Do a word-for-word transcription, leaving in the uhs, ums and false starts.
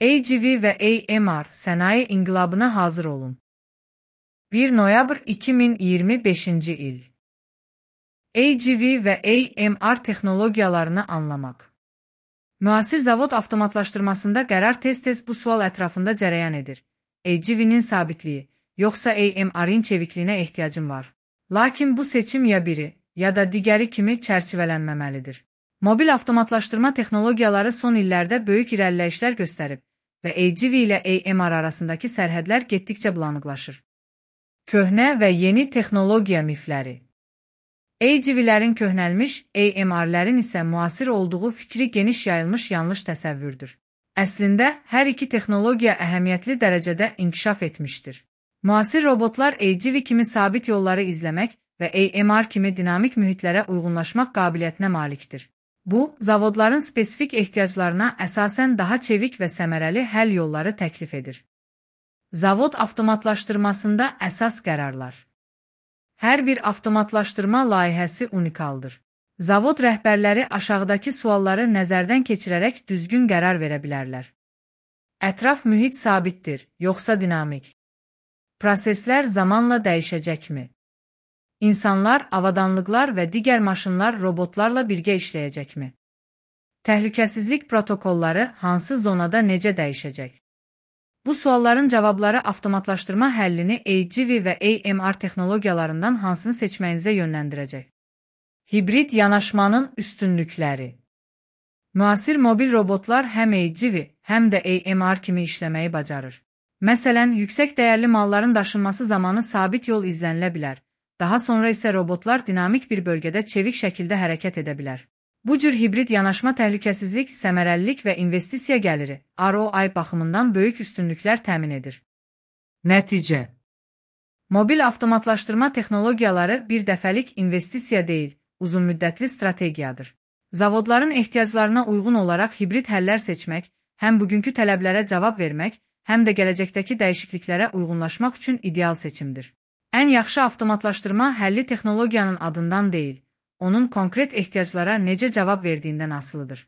A G V ve A M R sanayi inqilabına hazır olun. bir noyabr iki min iyirmi beşinci il. A G V ve A M R texnologiyalarını anlamaq. Müasir zavod avtomatlaşdırmasında qərar tez-tez bu sual ətrafında cərəyan edir. A G V'nin sabitliyi, yoxsa A M R'in çevikliyinə ehtiyacım var. Lakin bu seçim ya biri, ya da digəri kimi çərçivələnməməlidir. Mobil avtomatlaşdırma texnologiyaları son illərdə böyük irəliləyişlər göstərib və A G V ilə A M R arasındakı sərhədlər getdikcə bulanıqlaşır. Köhnə və yeni texnologiya mifləri. A G V'lərin köhnəlmiş, A M R'lərin isə müasir olduğu fikri geniş yayılmış yanlış təsəvvürdür. Əslində, hər iki texnologiya əhəmiyyətli dərəcədə inkişaf etmişdir. Müasir robotlar A G V kimi sabit yolları izləmək və A M R kimi dinamik mühitlərə uyğunlaşmaq qabiliyyətinə malikdir. Bu, zavodların spesifik ehtiyaclarına əsasən daha çevik və səmərəli həll yolları təklif edir. Zavod avtomatlaşdırmasında əsas qərarlar. Hər bir avtomatlaşdırma layihəsi unikaldır. Zavod rəhbərləri aşağıdakı sualları nəzərdən keçirərək düzgün qərar verə bilərlər. Ətraf mühit sabitdir, yoxsa dinamik? Proseslər zamanla dəyişəcəkmi? İnsanlar, avadanlıqlar və digər maşınlar robotlarla birgə işləyəcəkmi? Təhlükəsizlik protokolları hansı zonada necə dəyişəcək? Bu sualların cavabları avtomatlaşdırma həllini A G V və A M R texnologiyalarından hansını seçməyinizə yönləndirəcək. Hibrid yanaşmanın üstünlükləri. Müasir mobil robotlar həm A G V, həm də A M R kimi işləməyi bacarır. Məsələn, yüksək dəyərli malların daşınması zamanı sabit yol izlənilə bilər. Daha sonra isə robotlar dinamik bir bölgədə çevik şəkildə hərəkət edə bilər. Bu cür hibrid yanaşma təhlükəsizlik, səmərəlilik və investisiya gəliri R O I baxımından böyük üstünlüklər təmin edir. Nəticə. Mobil avtomatlaşdırma texnologiyaları bir dəfəlik investisiya deyil, uzunmüddətli strategiyadır. Zavodların ehtiyaclarına uyğun olaraq hibrid həllər seçmək, həm bugünkü tələblərə cavab vermək, həm də gələcəkdəki dəyişikliklərə uyğunlaşmaq üçün ideal seçimdir. Ən yaxşı avtomatlaşdırma həlli texnologiyanın adından deyil, onun konkret ehtiyaclara necə cavab verdiyindən asılıdır.